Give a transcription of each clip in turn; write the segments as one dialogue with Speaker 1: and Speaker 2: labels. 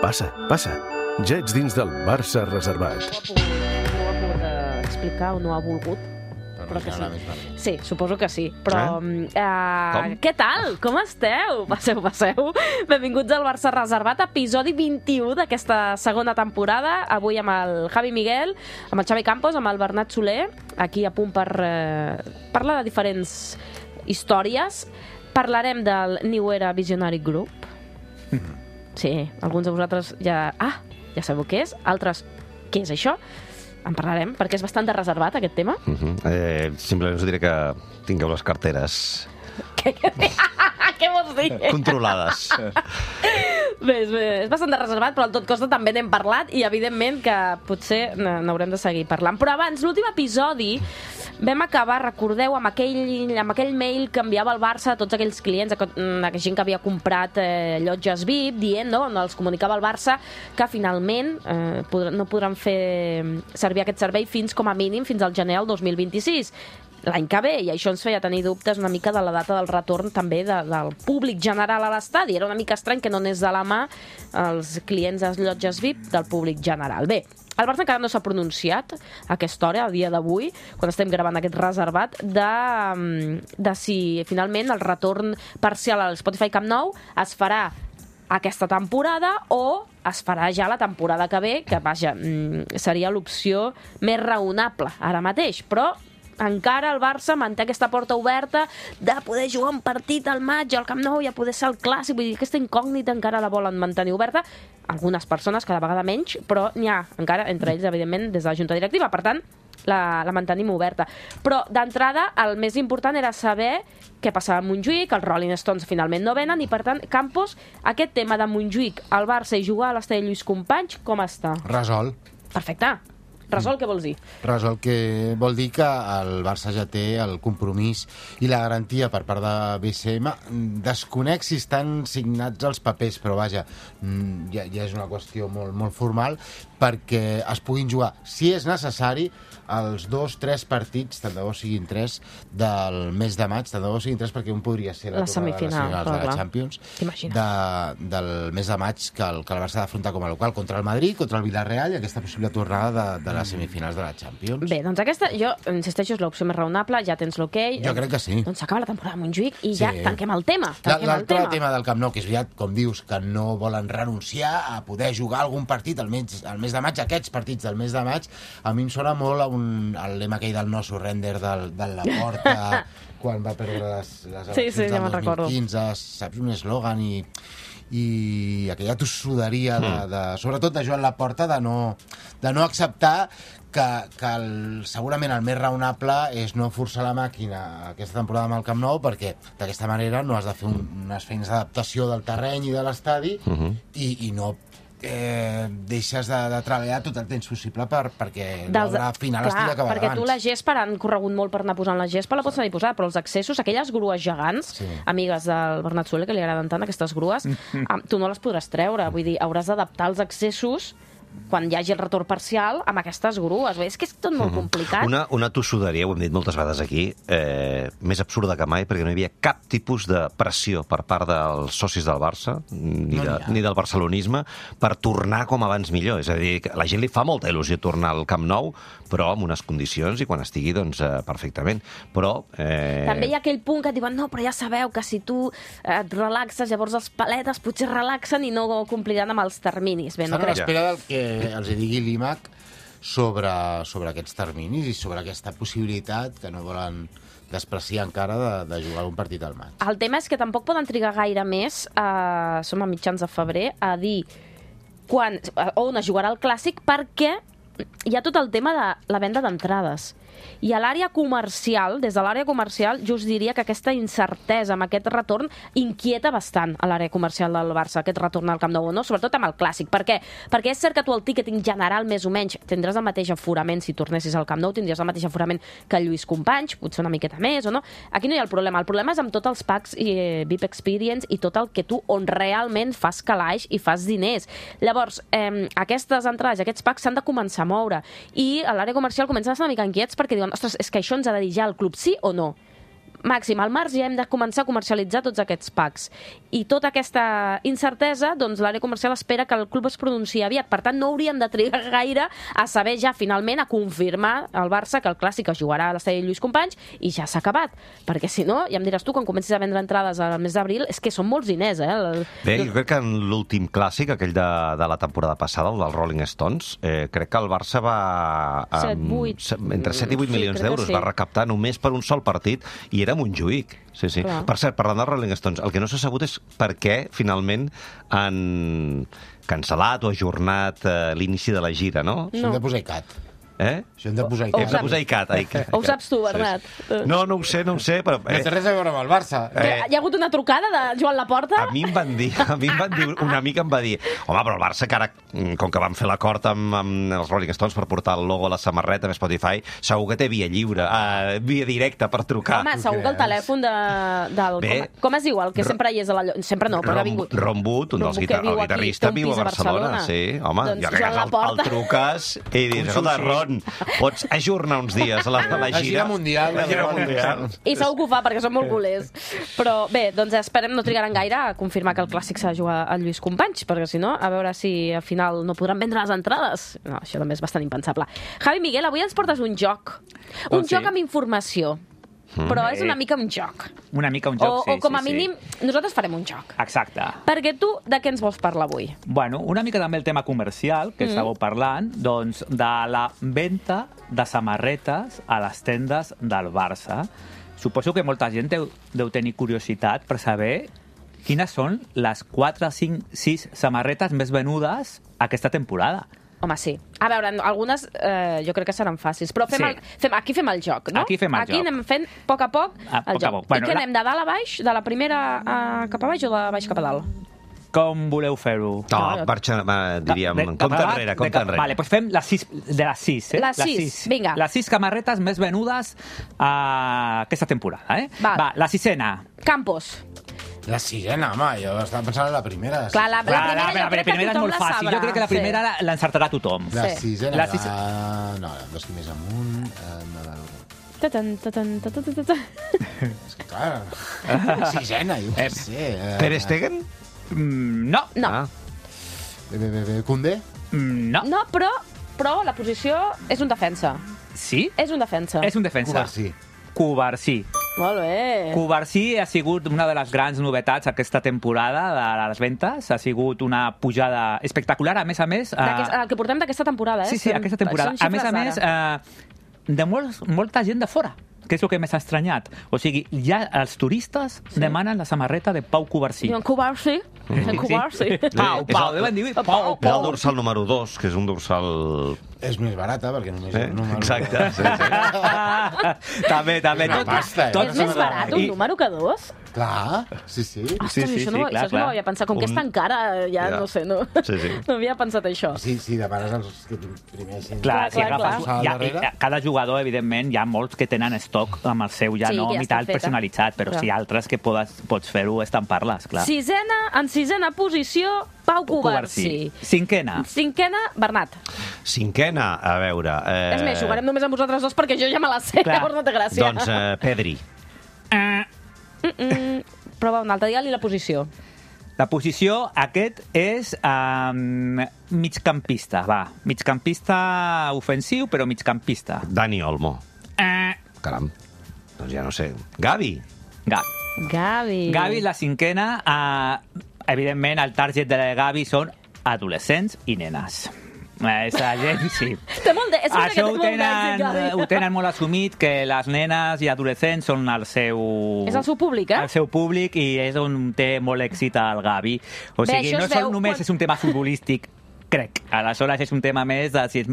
Speaker 1: Passa, passa. Ja ets dins del Barça reservat.
Speaker 2: No ho ha pogut explicar o no ha volgut.
Speaker 3: Però que sí.
Speaker 2: Sí, suposo que sí. Però, què tal? Com esteu? Passeu. Benvinguts al Barça Reservat, episodi 21 d'aquesta segona temporada. Avui amb el Javi Miguel, amb el Xavi Campos, amb el Bernat Soler, aquí a punt per parlar de diferents històries. Parlarem del New Era Visionary Group. Sí, alguns de vosaltres ja sabeu què és. Altres, què és això? En parlarem, perquè és bastant de reservat, aquest tema.
Speaker 4: Simplement us diré que tingueu les carteres
Speaker 2: Què vols dir?
Speaker 4: controlades.
Speaker 2: Bé, és bastant de reservat, però al tot costa també n'hem parlat i evidentment que potser n'haurem de seguir parlant. Però abans, l'últim episodi vam acabar, recordeu, amb aquell mail que enviava el Barça a tots aquells clients, a gent que havia comprat llotges VIP, dient, no, els comunicava el Barça que finalment no podran fer servir aquest servei com a mínim fins al gener del 2026. L'any que ve, i això ens feia tenir dubtes una mica de la data del retorn també del públic general a l'estadi. Era una mica estrany que no anés de la mà els clients de les llotges VIP del públic general. Bé, el Barça encara no s'ha pronunciat a aquesta hora, a dia d'avui, quan estem gravant aquest reservat, de si finalment el retorn parcial al Spotify Camp Nou es farà aquesta temporada o es farà ja la temporada que ve, que vaja, seria l'opció més raonable ara mateix, però encara el Barça manté aquesta porta oberta de poder jugar un partit al maig al Camp Nou i a poder ser el clàssic. Vull dir, aquesta incògnita encara la volen mantenir oberta. Algunes persones, cada vegada menys, però n'hi ha encara, entre ells, evidentment, des de la Junta Directiva. Per tant, la mantenim oberta. Però, d'entrada, el més important era saber què passava a Montjuïc, els Rolling Stones finalment no venen, i, per tant, Campos, aquest tema de Montjuïc, el Barça i jugar a l'estadi Lluís Companys, com està?
Speaker 3: Resolt.
Speaker 2: Perfecte. Resol, què vols dir?
Speaker 3: Resol, que vol dir que el Barça ja té el compromís i la garantia per part de BCM. Desconec si estan signats els papers, però vaja, ja és una qüestió molt formal, perquè es puguin jugar, si és necessari, els 2-3 partits, tant de bo siguin 3, del mes de maig, tant de bo siguin 3, perquè un podria ser la
Speaker 2: semifinal
Speaker 3: de la Champions del mes de maig, que el Barça ha d'afrontar com a local contra el Madrid, contra el Villarreal, i aquesta possible tornada de les semifinals de la Champions.
Speaker 2: Bé, doncs aquesta, jo insisteixo, és l'opció més raonable, ja tens l'okei.
Speaker 3: Jo crec que sí.
Speaker 2: Doncs s'acaba la temporada a Montjuïc i ja tanquem el tema.
Speaker 3: L'altre tema del Camp Nou, que és veritat, com dius, que no volen renunciar a poder jugar algun partit al mes de maig, aquests partits del mes de maig, a mi em sona molt el lema aquell del no surrender de la porta quan va perdre les eleccions del 2015, saps, un eslògan i aquella tossuderia sobretot de Joan Laporta de no acceptar que segurament el més raonable és no forçar la màquina aquesta temporada amb el Camp Nou, perquè d'aquesta manera no has de fer unes feines d'adaptació del terreny i de l'estadi i no deixes de treballar tot el temps possible perquè l'obra final estigui acabada
Speaker 2: perquè
Speaker 3: abans.
Speaker 2: tu la gespa, han corregut molt per anar posant la gespa, la pots anar posada, però els accessos, aquelles grues gegants, amigues del Bernat Soler, que li agraden tant aquestes grues, tu no les podràs treure, vull dir, hauràs d'adaptar els accessos quan hi hagi el retorn parcial amb aquestes grues. És que és tot molt complicat.
Speaker 4: Una tossuderia, ho hem dit moltes vegades aquí, més absurda que mai, perquè no hi havia cap tipus de pressió per part dels socis del Barça, ni del barcelonisme, per tornar com abans millor. És a dir, que a la gent li fa molta il·lusió tornar al Camp Nou, però amb unes condicions i quan estigui, doncs, perfectament. Però
Speaker 2: també hi ha aquell punt que et diuen, no, però ja sabeu que si tu et relaxes, llavors els paletes potser relaxen i no compliran amb els terminis. Bé, no crec.
Speaker 3: Estan a l'espera del que els digui l'IMAC sobre aquests terminis i sobre aquesta possibilitat que no volen despreciar encara de jugar un partit al maig.
Speaker 2: El tema és que tampoc poden trigar gaire més, som a mitjans de febrer, a dir on es jugarà el Clàssic, perquè hi ha tot el tema de la venda d'entrades. I a l'àrea comercial, des de l'àrea comercial, jo us diria que aquesta incertesa amb aquest retorn inquieta bastant a l'àrea comercial del Barça, aquest retorn al Camp Nou, no? Sobretot amb el Clàssic. Per què? Perquè és cert que tu el ticketing general, més o menys, tindràs el mateix aforament si tornessis al Camp Nou, tindries el mateix aforament que el Lluís Companys, potser una miqueta més o no. Aquí no hi ha el problema. El problema és amb tots els packs VIP Experience i tot el que tu on realment fas calaix i fas diners. Llavors, aquestes entrades, aquests packs s'han de començar a moure i a l'àrea comercial comencen a estar una mica inquiets perquè diuen, ostres, és que això ens ha de dir ja el club sí o no? màxim, al març ja hem de començar a comercialitzar tots aquests packs. I tota aquesta incertesa, doncs l'àrea comercial espera que el club es pronunciï aviat. Per tant, no hauríem de trigar gaire a saber ja finalment, a confirmar al Barça que el Clàssic es jugarà a l'estadi Lluís Companys i ja s'ha acabat. Perquè si no, ja em diràs tu, quan comencis a vendre entrades al mes d'abril, és que són molts diners,
Speaker 4: Bé, jo crec que en l'últim Clàssic, aquell de la temporada passada, el dels Rolling Stones, crec que el Barça va... entre 7 i 8 milions d'euros va recaptar només per un sol partit i era Montjuïc. Sí. Per cert, parlant dels Rolling Stones, el que no s'ha sabut és per què finalment han cancel·lat o ajornat l'inici de la gira, no?
Speaker 3: S'han de posar ICAT. Això hem de posar
Speaker 4: ICAT. Hem de posar ICAT.
Speaker 2: Ho saps tu, Bernat?
Speaker 4: No ho sé, però...
Speaker 3: No té res a veure amb el Barça.
Speaker 2: Hi ha hagut una trucada de Joan Laporta?
Speaker 4: A mi em van dir, una amica em va dir, home, però el Barça, que ara, com que van fer l'acord amb els Rolling Stones per portar el logo a la samarreta amb Spotify, segur que té via lliure, via directa per trucar.
Speaker 2: Home, segur que el telèfon del... Com es diu? El que sempre hi és a la... Sempre no, però ha vingut.
Speaker 4: Ron Wood, un dels guitarristes, viu a Barcelona. Sí, home, ja el truques i dius, escolta, Ron, pots ajornar uns dies la gira.
Speaker 3: La gira mundial.
Speaker 2: I segur que ho fa, perquè són molt culers. Però bé, doncs esperem no trigaran gaire a confirmar que el Clàssic s'ha de jugar al Lluís Companys, perquè si no, a veure si al final no podran vendre les entrades. No, això també és bastant impensable. Javi Miguel, avui ens portes un joc. Un joc amb informació. Però és una mica un joc.
Speaker 5: Una mica un joc, sí.
Speaker 2: O com a mínim, nosaltres farem un joc.
Speaker 5: Exacte.
Speaker 2: Perquè tu, de què ens vols parlar avui?
Speaker 5: Bueno, una mica també el tema comercial, que estàveu parlant, doncs, de la venda de samarretes a les tendes del Barça. Suposo que molta gent deu tenir curiositat per saber quines són les 4, 5, 6 samarretes més venudes aquesta temporada.
Speaker 2: Home, sí. A veure, algunes jo crec que seran fàcils, però aquí fem el joc, no?
Speaker 5: Aquí
Speaker 2: anem fent a poc el joc. I què anem, de dalt a baix, de la primera cap a baix o de baix cap a dalt?
Speaker 5: Com voleu fer-ho?
Speaker 4: No, diríem, compte enrere.
Speaker 5: Vale, doncs fem les 6, de les 6,
Speaker 2: Les 6, vinga.
Speaker 5: Les 6 samarretes més venudes aquesta temporada, Va, la 6ena.
Speaker 2: Campos.
Speaker 3: La 6ena, home, jo estava pensant en la primera.
Speaker 2: Clar, la primera
Speaker 5: és molt fàcil. Jo crec que la primera l'encertarà tothom.
Speaker 3: La 6ena, no, dos més amunt, és que clar, 6ena, jo què sé.
Speaker 4: Ter Stegen?
Speaker 5: No.
Speaker 3: Koundé?
Speaker 5: No.
Speaker 2: No, però la posició és un defensa.
Speaker 5: Sí?
Speaker 2: És un defensa.
Speaker 5: És un defensa. Cubarsí.
Speaker 2: Molt bé.
Speaker 5: Cubarsí ha sigut una de les grans novetats aquesta temporada de les ventes. Ha sigut una pujada espectacular, a més.
Speaker 2: El que portem d'aquesta temporada,
Speaker 5: Sí, aquesta temporada. A més, de molta gent de fora, que és el que més ha estranyat. O sigui, ja els turistes demanen la samarreta de Pau Cubarsí.
Speaker 2: Diuen Cubarsí?
Speaker 5: Pau, deuen dir Pau.
Speaker 4: És el dorsal número 2, que és un dorsal...
Speaker 3: És més barata, perquè només és un número...
Speaker 4: Exacte.
Speaker 5: També.
Speaker 2: És més barat un número que 2?
Speaker 3: Clar, sí.
Speaker 2: Ostres, això no ho havia pensat. Com que és tan cara, ja no sé, no havia pensat això.
Speaker 3: Sí, demanes els que primers...
Speaker 5: Clar, si agafes... Cada jugador, evidentment, hi ha molts que tenen estoc amb el seu ja nom i tal personalitzat, però si altres que pots fer-ho estampar-les, clar.
Speaker 2: En 6ena posició, Pau Cubarsí.
Speaker 5: Cinquena,
Speaker 2: Bernat.
Speaker 4: Cinquena, a veure...
Speaker 2: És més, jugarem només amb vosaltres dos perquè jo ja me la sé, llavors no té gràcia.
Speaker 4: Doncs Pedri.
Speaker 2: Prova un altre, digue-li la posició.
Speaker 5: La posició, aquest és migcampista, migcampista ofensiu, però migcampista.
Speaker 4: Dani Olmo. Caram, doncs ja no sé. Gavi.
Speaker 2: Gavi,
Speaker 5: la cinquena. Evidentment, el target de Gavi són adolescents i nenes. Aquesta gent, sí.
Speaker 2: Això
Speaker 5: ho tenen molt assumit, que les nenes i adolescents són el seu...
Speaker 2: És el seu públic,
Speaker 5: El seu públic, i és on té molt èxit el Gavi. O sigui, no només és un tema futbolístic, crec. Aleshores és un tema més de si és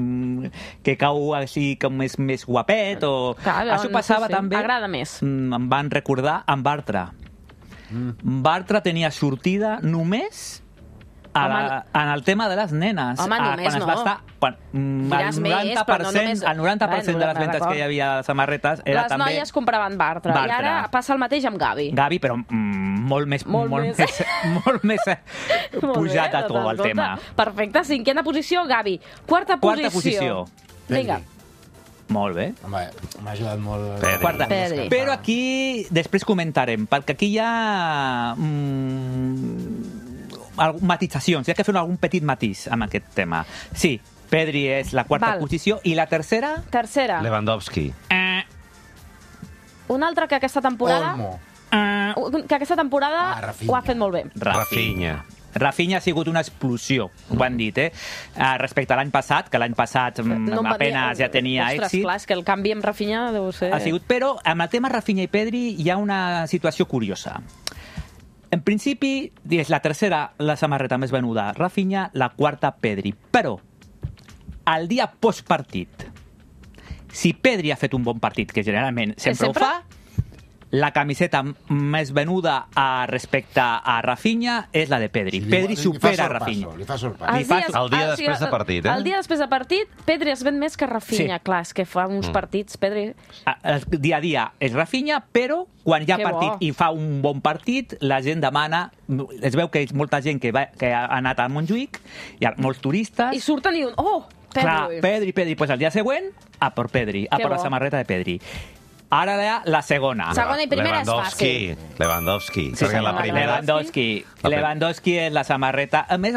Speaker 5: que cau així com és més guapet o... Això passava també...
Speaker 2: Agrada més.
Speaker 5: Em van recordar amb Bartra. Bartra tenia sortida només en el tema de les nenes.
Speaker 2: Home, només no.
Speaker 5: El 90% de les ventes que hi havia de samarretes era
Speaker 2: les
Speaker 5: també...
Speaker 2: Les noies compraven Bartra. I ara passa el mateix amb Gavi.
Speaker 5: Gavi, però molt més pujat a tot el tema.
Speaker 2: Perfecte, cinquena posició, Gavi. Quarta posició. Vinga.
Speaker 5: Molt bé.
Speaker 3: Home, m'ha ajudat molt...
Speaker 5: Quarta.
Speaker 2: Pedri.
Speaker 5: Però aquí després comentarem, perquè aquí hi ha matitzacions, hi ha que fer algun petit matís amb aquest tema. Sí, Pedri és la quarta posició, i la tercera?
Speaker 2: Tercera.
Speaker 4: Lewandowski.
Speaker 2: Un altre que aquesta temporada...
Speaker 3: Olmo.
Speaker 2: Que aquesta temporada
Speaker 3: Rafinha.
Speaker 2: ho ha fet molt bé.
Speaker 4: Rafinha.
Speaker 5: Rafinha ha sigut una explosió, ho han dit, respecte a l'any passat, que l'any passat apenas ja tenia èxit.
Speaker 2: Ostres, clar, és que el canvi amb Rafinha deu ser...
Speaker 5: Ha sigut, però amb el tema Rafinha i Pedri hi ha una situació curiosa. En principi, és la tercera la samarreta més venuda Rafinha, la quarta Pedri. Però, el dia postpartit, si Pedri ha fet un bon partit, que generalment sempre ho fa, la camiseta més venuda respecte a Rafinha és la de Pedri. Pedri supera Rafinha.
Speaker 3: Li fa sorpasso.
Speaker 4: El dia després de partit,
Speaker 2: El dia després de partit, Pedri es ven més que Rafinha.
Speaker 5: Sí.
Speaker 2: Clar, és que fa uns partits, Pedri...
Speaker 5: El dia a dia és Rafinha, però quan hi ha
Speaker 2: Que
Speaker 5: partit
Speaker 2: bo.
Speaker 5: i fa un bon partit, la gent demana... Es veu que és molta gent que ha anat a Montjuïc, hi ha molts turistes...
Speaker 2: I surten i diuen, oh, Pedri.
Speaker 5: Clar, Pedri. Pues el dia següent, a per Pedri, a
Speaker 2: Que
Speaker 5: per la
Speaker 2: bo.
Speaker 5: samarreta de Pedri. Ara la segona.
Speaker 2: Segona i primera és fàcil.
Speaker 4: Lewandowski.
Speaker 5: Sí,
Speaker 4: Perquè la primera...
Speaker 5: Lewandowski és la samarreta. A més,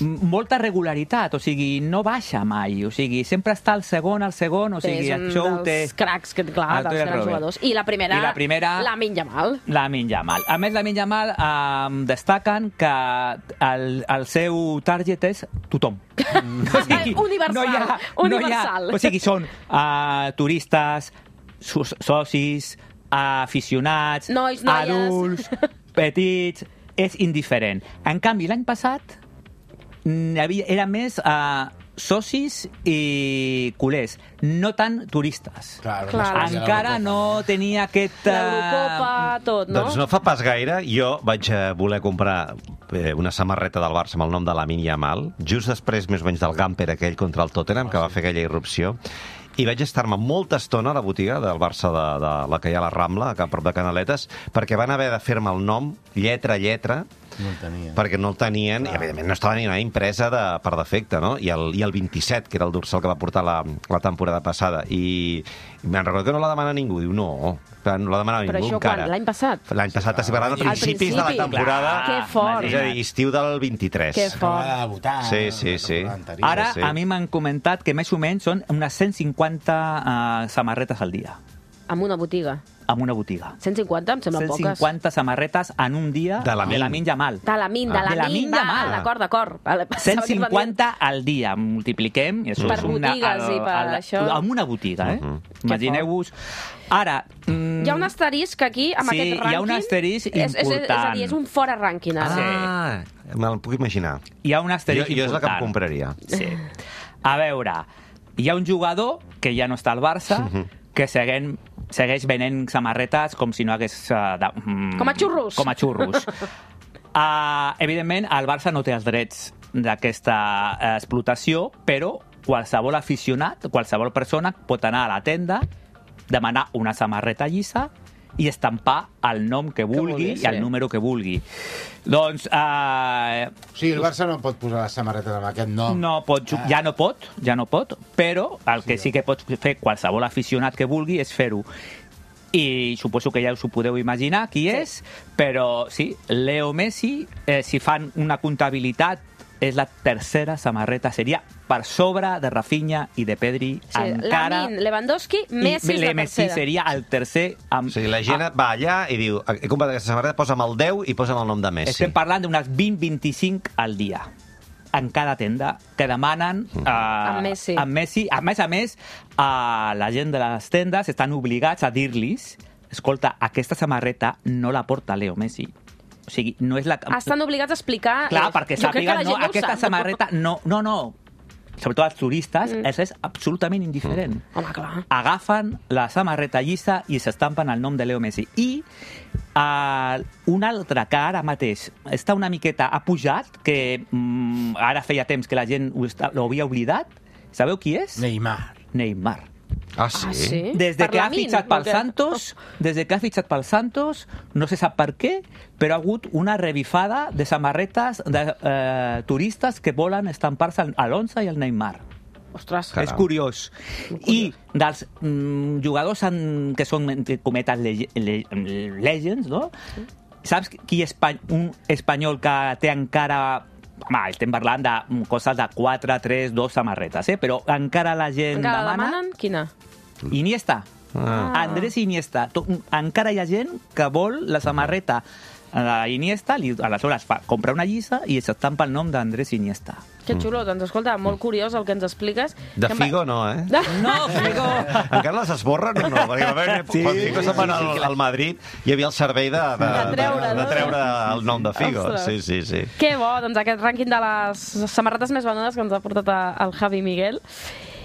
Speaker 5: molta regularitat, o sigui, no baixa mai, o sigui, sempre està al segon, o sigui,
Speaker 2: és un
Speaker 5: això ho té...
Speaker 2: dels cracs, que, clar,
Speaker 5: el té
Speaker 2: dels grans
Speaker 5: Robert.
Speaker 2: jugadors. I la primera, Lamine Yamal.
Speaker 5: Lamine Yamal. A més, Lamine Yamal destaquen que el seu target és tothom.
Speaker 2: Universal. Universal.
Speaker 5: O sigui, són turistes, socis, aficionats,
Speaker 2: Nois, noies.
Speaker 5: adults, petits... És indiferent. En canvi, l'any passat era més socis i culers, no tant turistes.
Speaker 3: Clar.
Speaker 5: Encara no tenia aquest...
Speaker 2: L'Eurocopa, tot, no?
Speaker 4: Doncs no fa pas gaire, jo vaig voler comprar una samarreta del Barça amb el nom de Lamine Yamal, just després, més o menys, del Gamper aquell contra el Tottenham, que va fer aquella irrupció, i vaig estar-me molta estona a la botiga del Barça de la que hi ha a la Rambla, a prop de Canaletes, perquè van haver de fer-me el nom, lletra a lletra,
Speaker 3: No el tenien.
Speaker 4: perquè no el tenien, i evidentment no estava ni una impresa per defecte, no? I el 27, que era el dorsal que va portar la temporada passada, i me'n recordo que no la demana ningú, diu no la demanava
Speaker 2: Però
Speaker 4: ningú
Speaker 2: això
Speaker 4: encara.
Speaker 2: quan? L'any passat?
Speaker 4: L'any passat, estic parlant de
Speaker 2: Al
Speaker 4: principis de la
Speaker 2: principi.
Speaker 4: temporada,
Speaker 2: Que fort.
Speaker 4: és a dir, estiu del 23.
Speaker 2: Que
Speaker 3: Acaba
Speaker 2: fort.
Speaker 3: de debutar.
Speaker 4: Sí.
Speaker 5: Ara,
Speaker 4: Sí.
Speaker 5: a mi m'han comentat que més o menys són unes 150 samarretes al dia,
Speaker 2: Amb una botiga.
Speaker 5: en una botiga.
Speaker 2: 150 em sembla poques.
Speaker 5: 150 samarretes en un dia
Speaker 4: De Lamine
Speaker 5: Yamal.
Speaker 2: De Lamine
Speaker 5: Yamal.
Speaker 2: D'acord. Vale,
Speaker 5: 150 al dia, multipliquem. I això
Speaker 2: Per
Speaker 5: és
Speaker 2: botigues i per això.
Speaker 5: Amb una botiga, Imagineu-vos. Ara...
Speaker 2: Hi ha un asterisc aquí, amb
Speaker 5: Sí,
Speaker 2: aquest rànquing.
Speaker 5: hi ha un asterisc
Speaker 2: És a
Speaker 5: important.
Speaker 2: dir, és un fora rànquing. Ara.
Speaker 4: Me'l puc imaginar.
Speaker 5: Hi ha un asterisc
Speaker 4: Jo és la que em
Speaker 5: important.
Speaker 4: compraria.
Speaker 5: Sí. A veure, hi ha un jugador que ja no està al Barça, que segueix venent samarretes com si no hagués...
Speaker 2: Com a xurros.
Speaker 5: Com a xurros. Evidentment, el Barça no té els drets d'aquesta explotació, però qualsevol aficionat, qualsevol persona pot anar a la tenda, demanar una samarreta llisa i estampar el nom que vulgui i el número que vulgui. Doncs...
Speaker 3: O sigui, el Barça no pot posar les samarretes amb aquest nom.
Speaker 5: Ja no pot, però el que sí que pot fer qualsevol aficionat que vulgui és fer-ho. I suposo que ja us ho podeu imaginar qui és, però sí, Leo Messi, si fan una comptabilitat, és la tercera samarreta, seria per sobre de Rafinha i de Pedri.
Speaker 2: Sí,
Speaker 5: encara...
Speaker 2: Lamine, Lewandowski, Messi és la
Speaker 5: Messi
Speaker 2: tercera.
Speaker 5: seria el tercer...
Speaker 4: O sigui, la gent va allà i diu, he comprat aquesta samarreta, posa'm el 10 i posa'm el nom de Messi.
Speaker 5: Estem parlant d'unes 20-25 al dia en cada tenda que demanen
Speaker 2: Amb Messi.
Speaker 5: amb Messi. A més, la gent de les tendes estan obligats a dir-los escolta, aquesta samarreta no la porta Leo Messi. O sigui, no és la...
Speaker 2: Estan obligats a explicar...
Speaker 5: Clar, perquè
Speaker 2: jo crec que
Speaker 5: sàpiguen,
Speaker 2: la gent no ho
Speaker 5: aquesta
Speaker 2: sap.
Speaker 5: samarreta... No. Sobretot els turistes, és absolutament indiferent.
Speaker 2: Home, clar.
Speaker 5: Agafen la samarreta llisa i s'estampen el nom de Leo Messi. I un altre que ara mateix està una miqueta ha pujat, que ara feia temps que la gent ho havia oblidat. Sabeu qui és? Neymar.
Speaker 4: Ah, sí?
Speaker 2: Ah, sí?
Speaker 5: Des
Speaker 2: Per
Speaker 5: que ha
Speaker 2: Lamine,
Speaker 5: fitxat pel
Speaker 2: perquè-
Speaker 5: Santos, no se sap per què, però ha hagut una revifada de samarretes de turistes que volen estampar-se a l'11 i al Neymar.
Speaker 2: Ostres.
Speaker 4: Caram.
Speaker 5: És curiós. I dels jugadors que són, entre cometes, legends, no? Saps qui és un espanyol que té encara... Home, estem parlant de coses de 4, 3, 2 samarretes, però encara la gent
Speaker 2: Encara
Speaker 5: demana...
Speaker 2: demanen? Quina?
Speaker 5: Iniesta. Andrés Iniesta. Encara hi ha gent que vol la samarreta a Iniesta, aleshores compra una lliça i s'estampa el nom d'Andrés Iniesta.
Speaker 2: Que xulo, doncs escolta, molt curiós el que ens expliques.
Speaker 4: De Figo no, eh?
Speaker 5: No, Figo!
Speaker 4: Encara les esborren o no? Perquè quan Figo se'n va al Madrid hi havia el servei de treure el nom de Figo.
Speaker 2: Ostres.
Speaker 4: Sí.
Speaker 2: Que bo, doncs aquest rànquing de les samarretes més venudes que ens ha portat el Javi Miguel.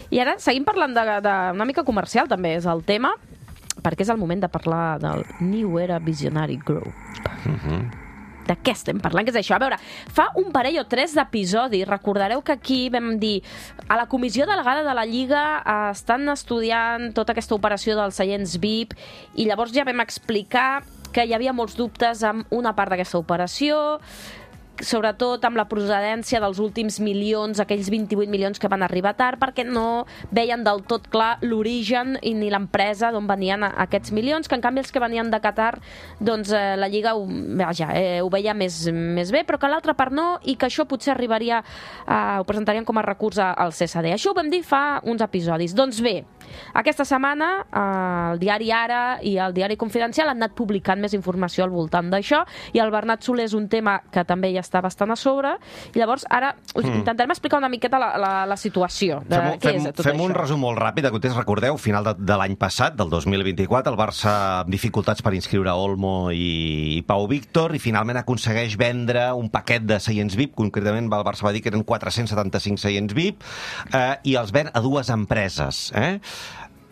Speaker 2: I ara seguim parlant d'una mica comercial, també és el tema, perquè és el moment de parlar del New Era Visionary Group. De què estem parlant? Què és això? A veure, fa un parell o 3 d'episodis, recordareu que aquí vam dir a la comissió delegada de la Lliga estan estudiant tota aquesta operació dels seients VIP i llavors ja vam explicar que hi havia molts dubtes amb una part d'aquesta operació, sobretot amb la procedència dels últims milions, aquells 28 milions que van arribar tard, perquè no veien del tot clar l'origen i ni l'empresa d'on venien aquests milions, que en canvi els que venien de Qatar, doncs la Lliga ho veia més bé, però que l'altra part no, i que això potser arribaria, ho presentarien com a recurs al CSD. Això ho vam dir fa uns episodis. Doncs bé, aquesta setmana el diari Ara i el diari Confidencial han anat publicant més informació al voltant d'això, i el Bernat Soler és un tema que també ja està bastant a sobre, i llavors ara us intentarem explicar una miqueta la situació de què és tot
Speaker 4: fem
Speaker 2: això.
Speaker 4: un resum molt ràpid de context. Recordeu, final de l'any passat, del 2024, el Barça amb dificultats per inscriure Olmo i Pau Víctor, i finalment aconsegueix vendre un paquet de seients VIP, concretament el Barça va dir que eren 475 seients VIP, i els ven a 2 empreses,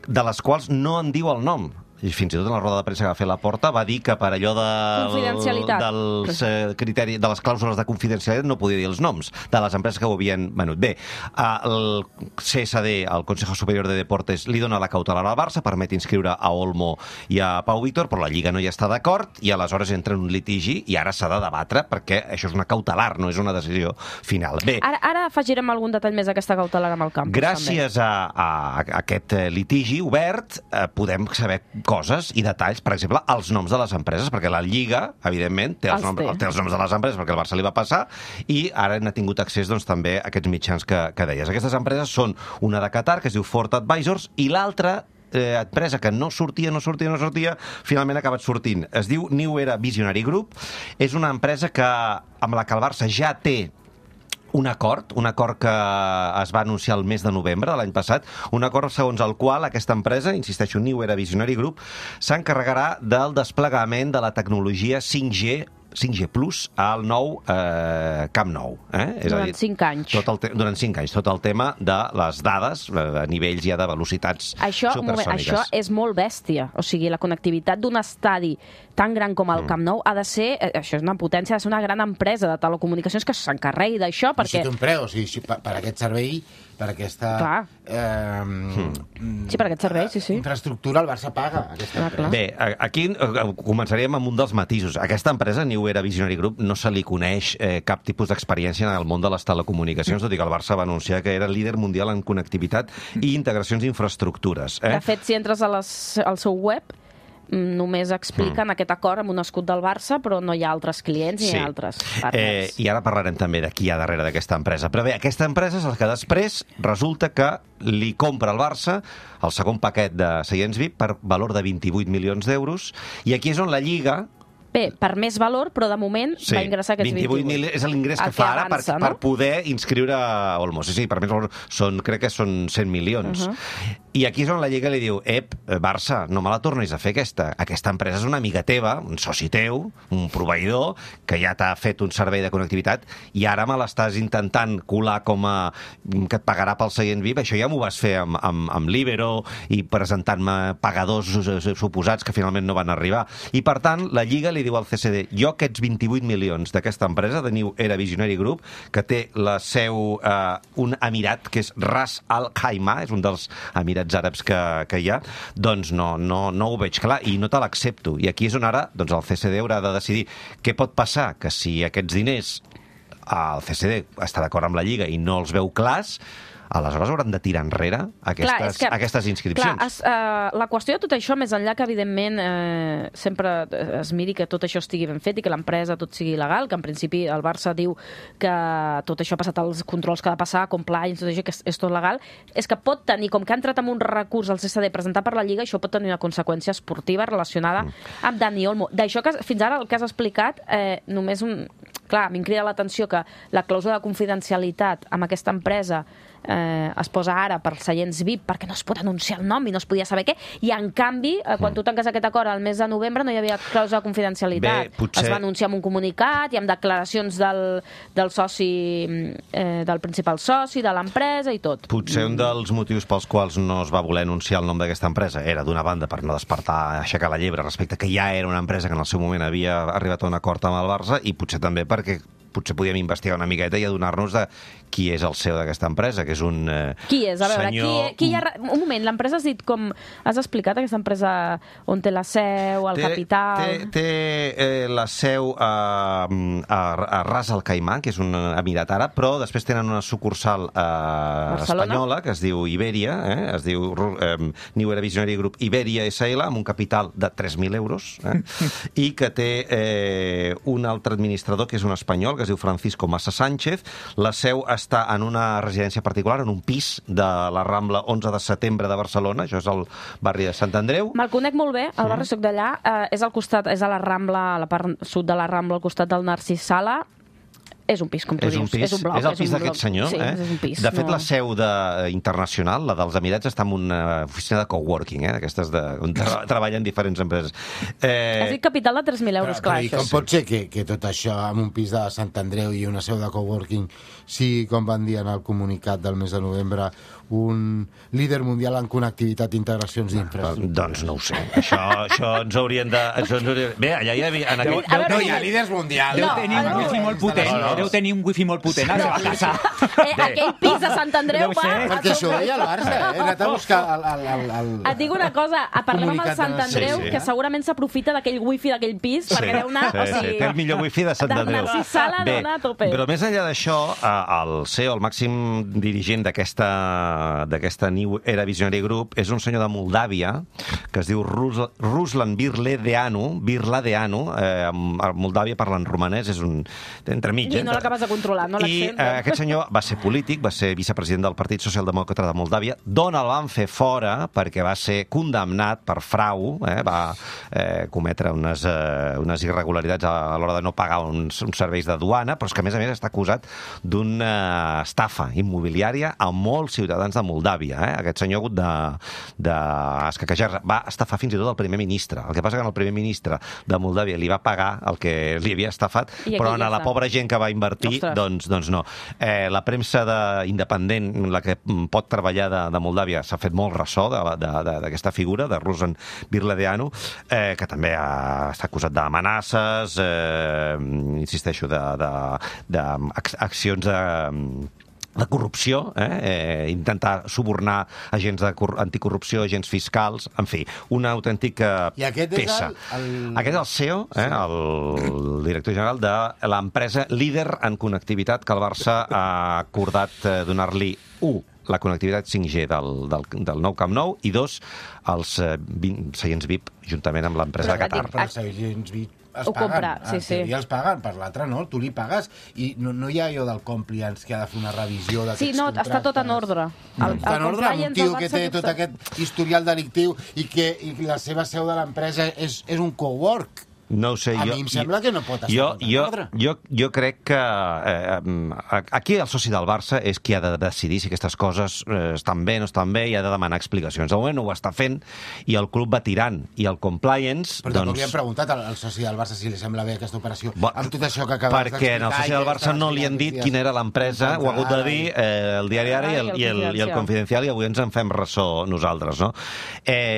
Speaker 4: de les quals no en diu el nom. I fins i tot en la roda de premsa que va fer Laporta va dir que per allò dels criteris, de les clàusules de confidencialitat no podia dir els noms de les empreses que ho havien venut. Bé, el CSD, el Consejo Superior de Deportes, li dona la cautelar al Barça, permet inscriure a Olmo i a Pau Víctor, però la Lliga no hi està d'acord i aleshores entra en un litigi i ara s'ha de debatre perquè això és una cautelar, no és una decisió final. Bé,
Speaker 2: Ara afegirem algun detall més d'aquesta cautelar amb el campus.
Speaker 4: Gràcies a aquest litigi obert podem saber coses i detalls, per exemple, els noms de les empreses, perquè la Lliga, evidentment, té els noms de les empreses perquè el Barça li va passar, i ara n'ha tingut accés doncs, també a aquests mitjans que deies. Aquestes empreses són una de Qatar, que es diu Fort Advisors, i l'altra empresa que no sortia, finalment ha acabat sortint. Es diu New Era Visionary Group. És una empresa amb la que el Barça ja té un acord que es va anunciar el mes de novembre de l'any passat, un acord segons el qual aquesta empresa, insisteixo, New Era Visionary Group, s'encarregarà del desplegament de la tecnologia 5G Plus al nou Camp Nou. És
Speaker 2: durant 5 anys.
Speaker 4: Durant 5 anys. Tot el tema de les dades a nivells ja de velocitats supersòniques.
Speaker 2: Això és molt bèstia. O sigui, la connectivitat d'un estadi tan gran com el Camp Nou ha de ser, això és una potència, ha de ser una gran empresa de telecomunicacions que s'encarregui d'això, perquè...
Speaker 3: I si té un preu, o sigui, per aquest servei, per aquesta...
Speaker 2: Sí, per aquest servei, sí.
Speaker 3: Infraestructura, el Barça paga aquesta empresa.
Speaker 4: Bé, aquí començaríem amb un dels matisos. Aquesta empresa, New Era Visionary Group, no se li coneix cap tipus d'experiència en el món de les telecomunicacions, tot i que el Barça va anunciar que era líder mundial en connectivitat i integracions d'infraestructures.
Speaker 2: De fet, si entres al seu web, només expliquen aquest acord amb un escut del Barça, però no hi ha altres clients ni altres partners.
Speaker 4: I ara parlarem també de qui hi ha darrere d'aquesta empresa. Però bé, aquesta empresa és la que després resulta que li compra al Barça el segon paquet de seients VIP per valor de 28 milions d'euros, i aquí és on la Lliga...
Speaker 2: Bé, per més valor, però de moment va ingressar aquests 28.
Speaker 4: És l'ingrés que fa ara per poder inscriure a Olmo. Sí, per més valor, crec que són 100 milions. I aquí és on la Lliga li diu, Barça, no me la tornis a fer aquesta. Aquesta empresa és una amiga teva, un soci teu, un proveïdor, que ja t'ha fet un servei de connectivitat, i ara me l'estàs intentant colar com a que et pagarà pel seient VIP. Això ja m'ho vas fer amb Libero i presentant-me pagadors suposats que finalment no van arribar. I, per tant, la Lliga li diu al CSD, jo aquests 28 milions d'aquesta empresa, de New Era Visionary Group, que té la seu un emirat, que és Ras Al Khaimah, és un dels emirats àrabs que hi ha, doncs no ho veig clar i no te l'accepto. I aquí és on ara el CSD haurà de decidir què pot passar, que si aquests diners el CSD està d'acord amb la Lliga i no els veu clars, aleshores hauran de tirar enrere aquestes inscripcions.
Speaker 2: La qüestió de tot això, més enllà que, evidentment, sempre es miri que tot això estigui ben fet i que l'empresa tot sigui legal, que en principi el Barça diu que tot això ha passat als controls que ha de passar, compliance, tot això, que és tot legal, és que pot tenir, com que ha entrat amb un recurs al CSD presentat per la Lliga, això pot tenir una conseqüència esportiva relacionada amb Dani Olmo. D'això que fins ara el que has explicat, només un... Clar, a mi em crida l'atenció que la clàusula de confidencialitat amb aquesta empresa es posa ara per seients VIP perquè no es pot anunciar el nom i no es podia saber què, i en canvi, quan tu tanques aquest acord al mes de novembre no hi havia clàusula de confidencialitat. Es va anunciar amb un comunicat i amb declaracions del soci, del principal soci, de l'empresa i tot.
Speaker 4: Potser un dels motius pels quals no es va voler anunciar el nom d'aquesta empresa era, d'una banda, per no despertar, aixecar la llebre respecte que ja era una empresa que en el seu moment havia arribat a un acord amb el Barça, i potser també perquè potser podíem investigar una miqueta i adonar-nos de qui és el CEO d'aquesta empresa, que és un
Speaker 2: qui és? A veure,
Speaker 4: senyor...
Speaker 2: Un moment, l'empresa has dit com... Has explicat aquesta empresa on té la seu, el capital...
Speaker 4: Té la seu a Ras Al Khaimah, que és un emirat àrab, però després tenen una sucursal espanyola, que es diu Iberia, es diu New Era Visionary Group Iberia SL, amb un capital de 3.000 euros, i que té un altre administrador, que és un espanyol, que es diu Francisco Massa Sánchez. La seu està en una residència particular, en un pis de la Rambla 11 de setembre de Barcelona, això és el barri de Sant Andreu.
Speaker 2: Me'l conec molt bé, el barri soc d'allà, és al costat, és a la Rambla, a la part sud de la Rambla, al costat del Narcís Sala. És un pis, com tu dius. És un bloc.
Speaker 4: És el pis d'aquest senyor.
Speaker 2: Sí, és un pis.
Speaker 4: De fet, la seu internacional, la dels Emirats, està en una oficina de coworking, d'aquestes on treballen diferents empreses.
Speaker 2: Has dit capital de 3.000 euros, clar.
Speaker 3: I com pot ser que tot això, amb un pis de Sant Andreu i una seu de coworking, sigui, com van dir en el comunicat del mes de novembre, un líder mundial en connectivitat i integracions d'infraestructures?
Speaker 4: Doncs no ho sé. Això ens haurien de... Bé, allà hi havia...
Speaker 3: No hi ha líders mundials.
Speaker 5: Deu tenir un wifi molt potent. Deu tenir un wifi molt potent a la seva casa.
Speaker 2: Aquell pis de Sant Andreu va...
Speaker 3: Perquè això ho deia el Barça, he anat a buscar el...
Speaker 2: Et dic una cosa, parlem amb el Sant Andreu, que segurament s'aprofita d'aquell wifi d'aquell pis, perquè deu anar...
Speaker 4: Té el millor wifi de Sant Andreu.
Speaker 2: De Narcís Sala deu anar a tope.
Speaker 4: Però més enllà d'això, el CEO, el màxim dirigent d'aquesta New Era Visionary Group, és un senyor de Moldàvia que es diu Ruslan Birladeanu. A Moldàvia parlen romanès, és un entremig.
Speaker 2: I no l'acabes de controlar, no l'accent.
Speaker 4: I aquest senyor va ser polític, va ser vicepresident del Partit Socialdemòcrata de Moldàvia, d'on el van fer fora perquè va ser condemnat per frau, va cometre unes irregularitats a l'hora de no pagar uns serveis de duana, però és que a més està acusat d'una estafa immobiliària a molts ciutadans de Moldàvia. Aquest senyor ha hagut d'escaquejar. Va estafar fins i tot el primer ministre. El que passa que el primer ministre de Moldàvia li va pagar el que li havia estafat, però a la pobra gent que va invertir, doncs no. La premsa independent, la que pot treballar de Moldàvia, s'ha fet molt ressò d'aquesta figura, de Ruslan Birladeanu, que també està acusat d'amenaces, insisteixo, d'accions de corrupció, intentar subornar agents anticorrupció, agents fiscals, en fi, una autèntica peça. Aquest és el CEO, el director general de l'empresa líder en connectivitat que el Barça ha acordat donar-li la connectivitat 5G del nou Camp Nou, i 2, els seients VIP, juntament amb l'empresa de Qatar.
Speaker 3: Però els seients VIP es paguen, els paguen, per l'altre no, tu li pagues, i no hi ha allò del compliance que ha de fer una revisió d'aquests contractes.
Speaker 2: Sí, no, està tot en ordre.
Speaker 3: Està en ordre, un tio que té tot aquest historial delictiu i que la seva seu de l'empresa és un cowork.
Speaker 4: No ho sé,
Speaker 3: a mi em sembla que no pot estar en ordre.
Speaker 4: Jo crec que aquí el soci del Barça és qui ha de decidir si aquestes coses estan bé o no estan bé, i ha de demanar explicacions. De moment no ho està fent i el club va tirant. I el compliance...
Speaker 3: Però tampoc li hem preguntat al soci del Barça si li sembla bé aquesta operació amb tot això que acabes d'explicar.
Speaker 4: Perquè al soci del Barça no li han dit quina era l'empresa, ho ha hagut de dir el Diari Ara i el Confidencial, i avui ens en fem ressò nosaltres, no?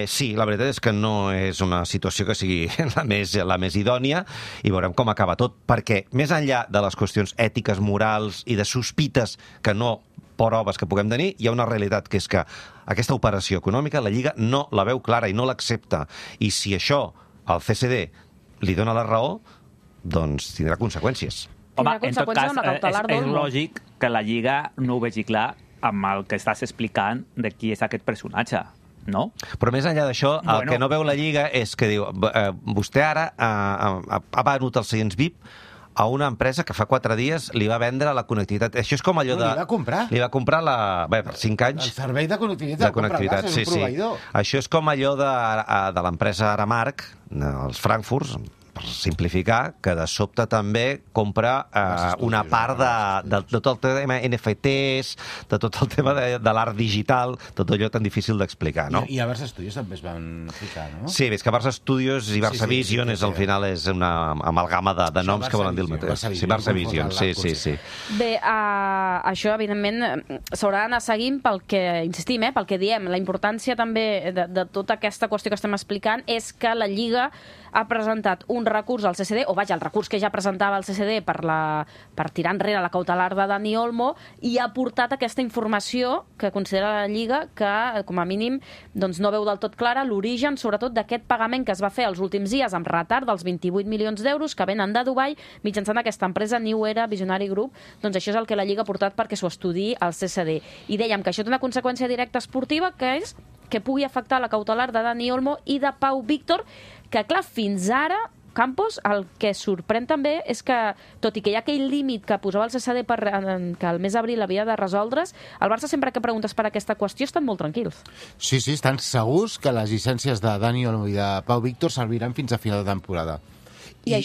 Speaker 4: Sí, la veritat és que no és una situació que sigui la més idònia, i veurem com acaba tot, perquè més enllà de les qüestions ètiques, morals i de sospites que no proves que puguem tenir, hi ha una realitat, que és que aquesta operació econòmica la Lliga no la veu clara i no l'accepta, i si això el CSD li dona la raó, doncs tindrà conseqüències.
Speaker 5: Home, en tot cas, és lògic que la Lliga no ho vegi clar amb el que estàs explicant de qui és aquest personatge, no?
Speaker 4: Però més enllà d'això, el que no veu la Lliga és que diu, vostè ara ha venut els seients VIP a una empresa que fa 4 dies li va vendre la connectivitat. Això és com allò de...
Speaker 3: Li va comprar.
Speaker 4: Li va comprar per 5 anys.
Speaker 3: El servei de connectivitat, és un proveïdor.
Speaker 4: Això és com allò de l'empresa Aramark, els Frankfurts, per simplificar, que de sobte també compra una part de tot el tema NFTs, de tot el tema de l'art digital, tot allò tan difícil d'explicar, no?
Speaker 3: I a Barça Studios també es van ficar, no?
Speaker 4: Sí, és que Barça Studios i Barça Vision al final és una amalgama de noms que volen dir el mateix. Sí, Barça Vision, sí.
Speaker 2: Bé, això, evidentment, s'haurà d'anar seguint pel que, insistim, pel que diem. La importància també de tota aquesta qüestió que estem explicant és que la Lliga ha presentat un recurs al CCD, o vaja, el recurs que ja presentava el CCD per tirar enrere la cautelar de Dani Olmo, i ha portat aquesta informació que considera la Lliga que, com a mínim, doncs no veu del tot clara l'origen, sobretot, d'aquest pagament que es va fer els últims dies amb retard dels 28 milions d'euros que venen de Dubai mitjançant aquesta empresa New Era Visionary Group. Doncs això és el que la Lliga ha portat perquè s'ho estudiï al CCD. I dèiem que això té una conseqüència directa esportiva, que és que pugui afectar la cautelar de Dani Olmo i de Pau Víctor, que, clar, fins ara, Campos, el que sorprèn també és que, tot i que hi ha aquell límit que posava el CCD que el mes d'abril havia de resoldre's, el Barça, sempre que preguntes per aquesta qüestió, estan molt tranquils. Sí,
Speaker 3: estan segurs que les llicències de Dani Olmo i de Pau Víctor serviran fins a final de temporada. I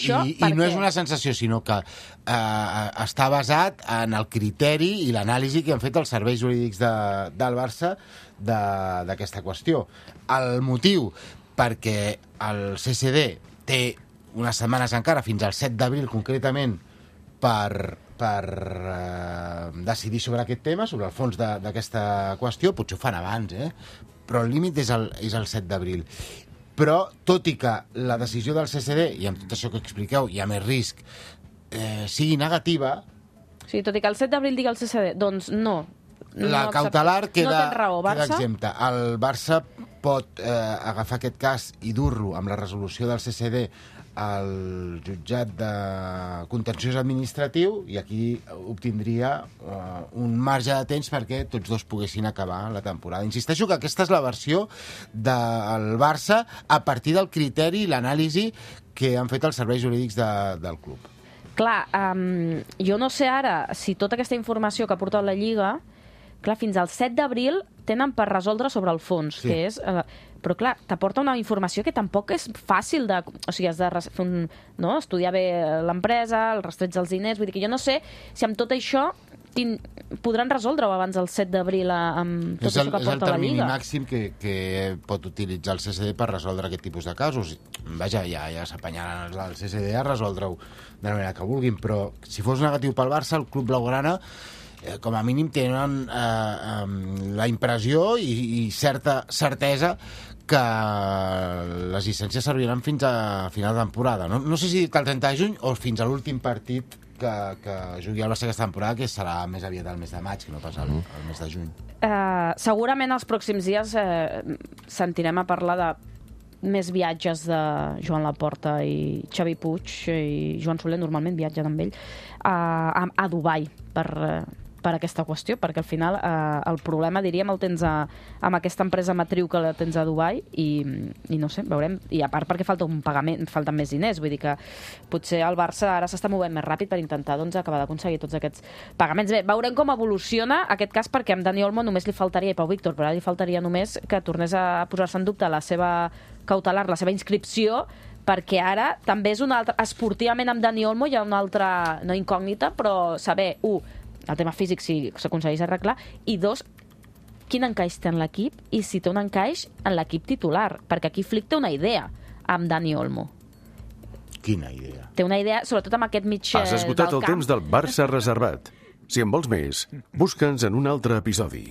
Speaker 3: no és una sensació, sinó que està basat en el criteri i l'anàlisi que han fet els serveis jurídics del Barça d'aquesta qüestió. El motiu perquè el CCD té unes setmanes encara, fins al 7 d'abril concretament, per decidir sobre aquest tema, sobre el fons d'aquesta qüestió. Potser ho fan abans, però el límit és el 7 d'abril. Però, tot i que la decisió del CCD, i amb tot això que expliqueu, hi ha més risc, sigui negativa...
Speaker 2: Sí, tot i que el 7 d'abril digui el CCD, doncs no.
Speaker 3: La cautelar queda
Speaker 2: Barça.
Speaker 3: exempta. El Barça pot agafar aquest cas i dur-lo amb la resolució del CCD al jutjat de contenciós administratiu, i aquí obtindria un marge de temps perquè tots dos poguessin acabar la temporada. Insisteixo que aquesta és la versió del Barça a partir del criteri i l'anàlisi que han fet els serveis jurídics del club.
Speaker 2: Clar, jo no sé ara si tota aquesta informació que ha portat la Lliga, clar, fins al 7 d'abril tenen per resoldre sobre el fons, sí. Que és... però, clar, t'aporta una informació que tampoc és fàcil de... O sigui, has de fer estudiar bé l'empresa, el rastreig dels diners... Vull dir que jo no sé si amb tot això podran resoldre-ho abans del 7 d'abril amb tot això que porta la Lliga. És el
Speaker 3: termini màxim que pot utilitzar el CCD per resoldre aquest tipus de casos. Vaja, ja s'apanyaran el CCD a resoldre-ho de la manera que vulguin, però si fos negatiu pel Barça, el club blaugrana com a mínim tenen la impressió i certa certesa que les llicències serviran fins a final de temporada. No sé si el 30 de juny o fins a l'últim partit que jugui el Barça aquesta temporada, que serà més aviat el mes de maig, que no pas el mes de juny.
Speaker 2: Segurament els pròxims dies sentirem a parlar de més viatges de Joan Laporta i Xavi Puig, i Joan Soler normalment viatgen amb ell a Dubai per aquesta qüestió, perquè al final el problema, diríem, el tens amb aquesta empresa matriu que la tens a Dubai i no sé, veurem. I a part perquè falta un pagament, falten més diners, vull dir que potser el Barça ara s'està movent més ràpid per intentar acabar d'aconseguir tots aquests pagaments. Bé, veurem com evoluciona aquest cas, perquè amb Dani Olmo només li faltaria, i Pau Víctor, però ara li faltaria només que tornés a posar-se en dubte la seva cautelar, la seva inscripció, perquè ara també és una altra... Esportivament amb Dani Olmo hi ha una altra, no incògnita, però saber, el tema físic si s'aconsegueix arreglar, i 2, quin encaix té en l'equip i si té un encaix en l'equip titular, perquè aquí Flick té una idea amb Dani Olmo.
Speaker 3: Quina idea?
Speaker 2: Té una idea, sobretot amb aquest mig del camp.
Speaker 1: Has esgotat el temps del Barça reservat. Si en vols més, busca'ns en un altre episodi.